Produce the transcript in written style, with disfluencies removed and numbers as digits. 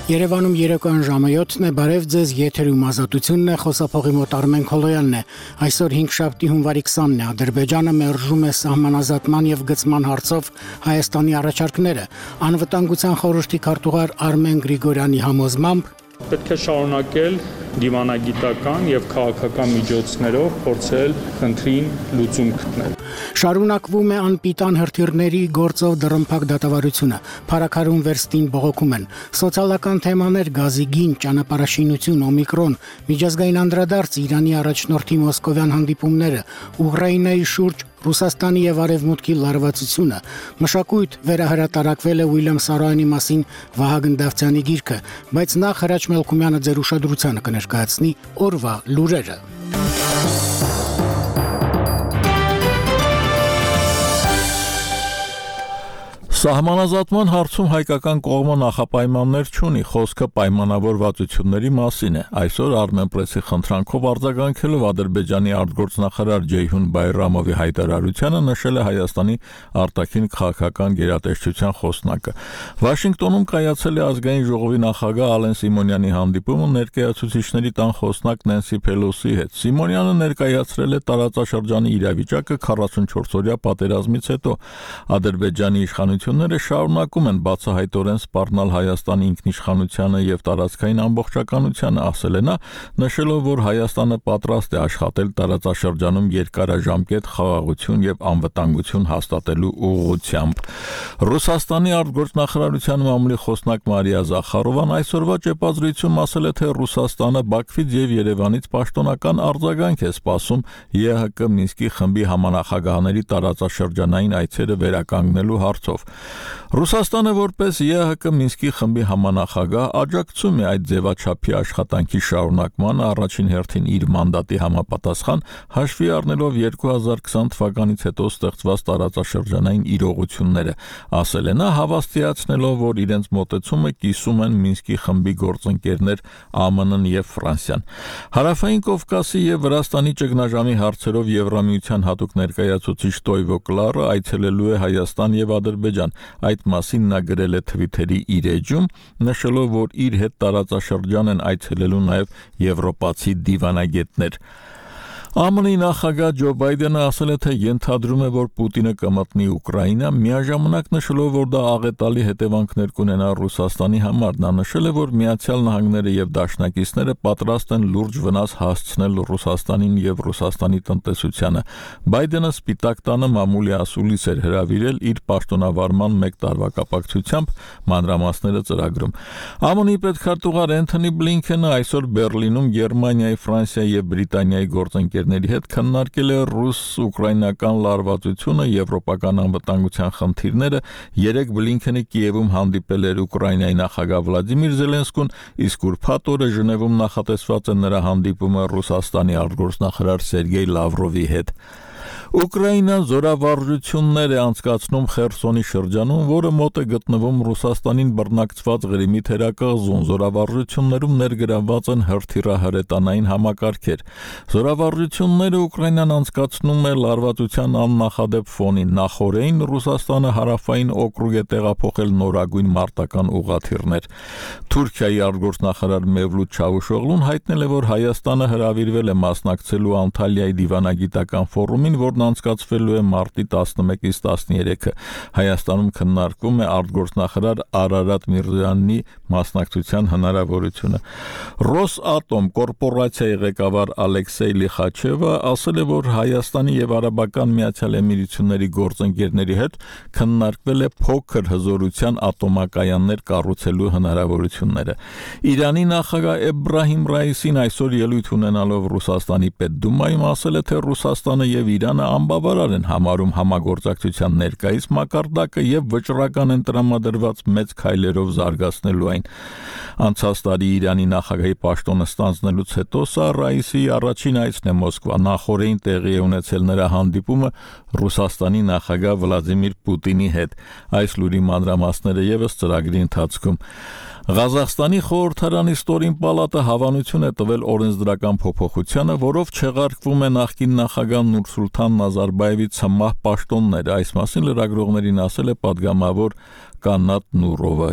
Երևանում երեկոյան ժամը 7-ն է, բարև ձեզ, եթերում Ազատությունն է, խոսափողի մոտ Արմեն Քոլոյանն է։ Այսօր 5-շաբթի հունվարի 20-ն է, Ադրբեջանը մերժում է սահմանազատման եւ գծման հարցով Հայաստանի առաջարկները։ Անվտանգության խորհրդի քարտուղար Արմեն Գրիգորյանի համոզմամբ պետք է շարունակել դիվանագիտական եւ քաղաքական միջոցներով փորձել խնդրին լուծում գտնել։ Շարունակվում է անպիտան հրթիռների գործով դռնփակ դատավարությունը, փառաքարում վերստին բողոքում են, սոցիալական թեմաներ, գազի գին, ճանապարհաշինություն, օմիկրոն, միջազգային անդրադարձ, Իրանի առաջնորդի մոսկովյան հանդիպումները, Ուկրաինայի շուրջ Ռուսաստանի եւ Արևմուտքի լարվածությունը, մշակույթ վերահրատարակվել է Ուիլյամ Սարոյանի մասին Վահագն Դավթյանի գիրքը, բայց նախ Հրաչ Մելքումյանը ձեր ուշադրությանը կներկայացնի օրվա լուրերը։ Սահմանազատման հարցում հայկական կողմը նախապայմաններ չունի, խոսքը պայմանավորվածությունների մասին է։ Այսօր Armenpress-ի խնդրանքով արձագանքելով Ադրբեջանի արտգործնախարար Ջեյհուն Բայրամովի հայտարարությանը նշել է Հայաստանի արտաքին քաղաքական գերատեսչության խոսնակը։ Վաշինգտոնում կայացել է ազգային ժողովի նախագահ Ալեն Սիմոնյանի հանդիպումը ներկայացուցիչների տան խոսնակ Նենսի Փելոսի հետ։ Սիմոնյանը ներկայացրել է տարածաշրջանի իրավիճակը 44-օրյա պատերազմից հետո։ Ադրբեջանի իշխանությունները շարունակում են բացահայտորեն սպառնալ Հայաստանի ինքնիշխանությանը եւ տարածքային ամբողջականությանը, ասել է նա, նշելով, որ Հայաստանը պատրաստ է աշխատել տարածաշրջանում երկարաժամկետ խաղաղություն եւ անվտանգություն հաստատելու ուղղությամբ։ Ռուսաստանի արտգործնախարարության մամուլի խոսնակ Մարիա Զախարովան այսօրվա ճեպազրույցում ասել է, թե Ռուսաստանը Բաքվից եւ Երևանից պաշտոնական արձագանք է սպասում ԵՀԿ Մինսկի խմբի համանախագահաների տարածաշրջանային այցերը վերականգնելու հարցով։ Ռուսաստանը որպես ԵՀԿ Մինսկի խմբի համանախագահ աջակցում է այդ ձևաչափի աշխատանքի շարունակմանը առաջին հերթին իր մանդատի համապատասխան հաշվի առնելով 2020 թվականից հետո ստեղծված տարածաշրջանային իրողությունները, ասել է նա, հավաստիացնելով, որ իրենց մոտեցումը կիսում են Մինսկի խմբի գործընկերներ ԱՄՆ-ն եւ Ֆրանսիան։ Հարավային Կովկասի եւ Վրաստանի ճգնաժամի հարցերով Եվրամիության հատուկ ներկայացուցիչ Տոյվո Կլարը այցելելու է Հայաստան եւ Ադրբեջան։ Այդ մասին նա գրել է Թվիթերի իր էջում, նշելով, որ իր հետ տարածաշրջան են այցելելու նաև եվրոպացի դիվանագետներ։ ԱՄՆ-ի նախագահ Ջո Բայդենը ասել է, թե ենթադրում է, որ Պուտինը կմտնի Ուկրաինա, միաժամանակ նշելով, որ դա աղետալի հետևանքներ կունենա Ռուսաստանի համար։ Նա նշել է, որ Միացյալ Նահանգները եւ դաշնակիցները պատրաստ են լուրջ վնաս հասցնել Ռուսաստանին եւ Ռուսաստանի տնտեսությանը։ Բայդենը Սպիտակ տանը մամուլի ասուլիս էր հրավիրել իր պաշտոնավարման 1 տարվա կապակցությամբ, մանրամասները ծրագրում։ ԱՄՆ-ի պետքարտուղար Էնթոնի Բլինքենը այսօր Բերլինում Գերմանիայի, Ֆրանսիայի եւ Բրիտանիայի գործընկերների հետ քննարկել է ռուս-ուկրաինական լարվածությունը, եվրոպական անվտանգության խնդիրները։ Երեկ Բլինքենը Կիևում հանդիպել էր Ուկրաինայի նախագահ Վլադիմիր Զելենսկուն, իսկ ուրբաթ օրը Ժնևում նախատեսված է նրա հանդիպումը Ռուսաստանի արտգործնախարար Սերգեյ Լավրովի հետ։ Ուկրաինան զորավարժություններ է անցկացնում Խերսոնի շրջանում, որը մոտ է գտնվում Ռուսաստանին բռնակցված Ղրիմի թերակղզուն։ Զորավարժություններում ներգրավված են հրթիռահրետանային համակարգեր։ Զորավարժությունները Ուկրաինան անցկացնում է լարվածության աննախադեպ ֆոնին։ Նախորդին Ռուսաստանը հարավային օկրուգ է տեղափոխել նորագույն մարտական ուղղաթիռներ։ Թուրքիայի արտգործնախարար Մևլութ Չավուշօղլուն հայտնել է, որ Հայաստանը հրավիրվել է մասնակցելու Անտալիայի դիվանագիտական ֆորումին, որն անցկացվելու է մարտի 11-ից 13-ը։ Հայաստանում քննարկվում է արտգործնախարար Արարատ Միրզոյանի մասնակցության հնարավորությունը։ Ռոսատոմ կորպորացիայի ղեկավար Ալեքսեյ Լիխաչևը ասել է, որ Հայաստանի եւ Արաբական Միացյալ Էմիրությունների գործընկերների հետ քննարկվել է փոքր հզորության ատոմակայաններ կառուցելու հնարավորությունները։ Իրանի նախագահ Էբրահիմ Ռայիսին այսօր ելույթ ունենալով Ռուսաստանի Պետդումայում ասել է, թե Ռուսաստանը եւ Իրանը անբավարար են համարում համագործակցության ներկայիս մակարդակը եւ վճռական են տրամադրված մեծ քայլերով զարգացնելու այն։ Անցած տարի Իրանի նախագահի պաշտոնը ստանձնելուց հետո սա Ռայիսի առաջին այցն է Մոսկվա։ Նախորդին տեղի է ունեցել նրա հանդիպումը Ռուսաստանի նախագահ Վլադիմիր Պուտինի հետ։ Այս լուրի մանրամասները եւս ծրագրի ընթացքում։ Ղազախստանի խորհրդարանի ստորին պալատը հավանություն է տվել օրենսդրական փոփոխությանը, որով չեղարկվում է նախկին նախագահ Նուրսուլթան Նազարբայևի ցմահ պաշտոնները։ Այս մասին լրագրողներին ասել է պատգամավոր Կանատ Նուրովը։